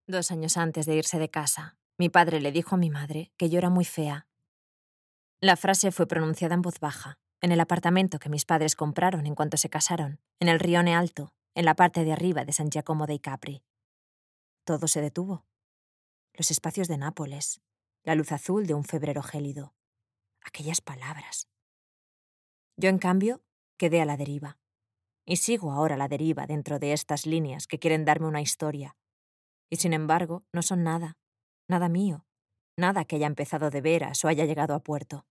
2 años antes de irse de casa, mi padre le dijo a mi madre que yo era muy fea. La frase fue pronunciada en voz baja, en el apartamento que mis padres compraron en cuanto se casaron, en el Rione Alto, en la parte de arriba de San Giacomo dei Capri. Todo se detuvo. Los espacios de Nápoles, la luz azul de un febrero gélido, aquellas palabras. Yo, en cambio, quedé a la deriva. Y sigo ahora a la deriva dentro de estas líneas que quieren darme una historia. Y sin embargo, no son nada, nada mío, nada que haya empezado de veras o haya llegado a puerto.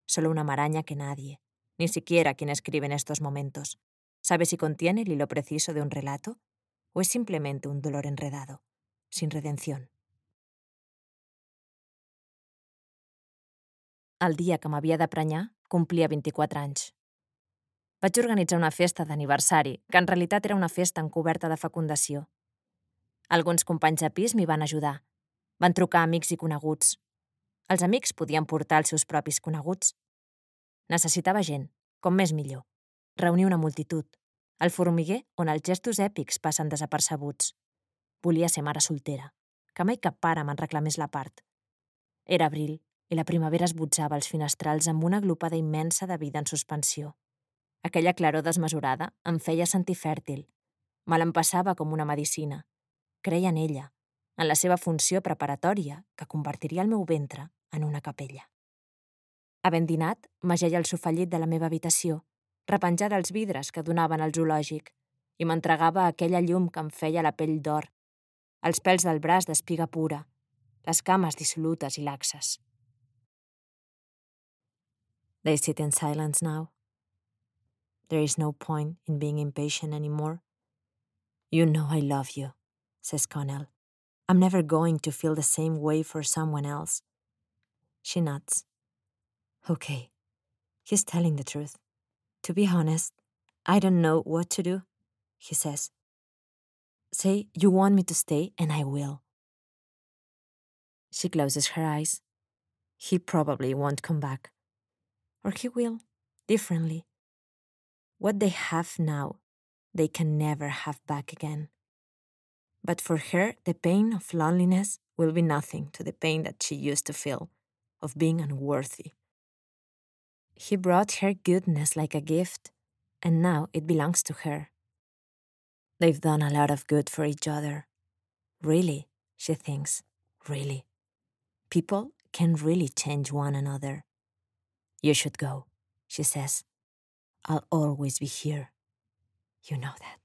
Solo una maraña que nadie, ni siquiera quien escribe en estos momentos, sabe si contiene el hilo preciso de un relato o es simplemente un dolor enredado, sin redención. El dia que m'havia de prenyar, complia 24 anys. Vaig organitzar una festa d'aniversari, que en realitat era una festa encoberta de fecundació. Alguns companys de pis m'hi van ajudar. Van trucar amics i coneguts. Els amics podien portar els seus propis coneguts. Necessitava gent, com més millor. Reunir una multitud. El formiguer on els gestos èpics passen desapercebuts. Volia ser mare soltera, que mai cap pare me'n reclamés la part. Era abril i la primavera esbotzava els finestrals amb una glopada immensa de vida en suspensió. Aquella claror desmesurada em feia sentir fèrtil. Me l'empassava com una medicina. Creia en ella, en la seva funció preparatòria que convertiria el meu ventre en una capella. Havent dinat, m'ajeia al sofallit de la meva habitació, repenjada als vidres que donaven al zoològic, i m'entregava a aquella llum que em feia la pell d'or, els pèls del braç d'espiga pura, les cames dissolutes i laxes. They sit in silence now. There is no point in being impatient anymore. You know I love you, says Connell. I'm never going to feel the same way for someone else. She nods. Okay, he's telling the truth. To be honest, I don't know what to do, he says. Say you want me to stay and I will. She closes her eyes. He probably won't come back. Or he will, differently. What they have now, they can never have back again. But for her, the pain of loneliness will be nothing to the pain that she used to feel, of being unworthy. He brought her goodness like a gift, and now it belongs to her. They've done a lot of good for each other. Really, she thinks, really. People can really change one another. You should go, she says. I'll always be here. You know that.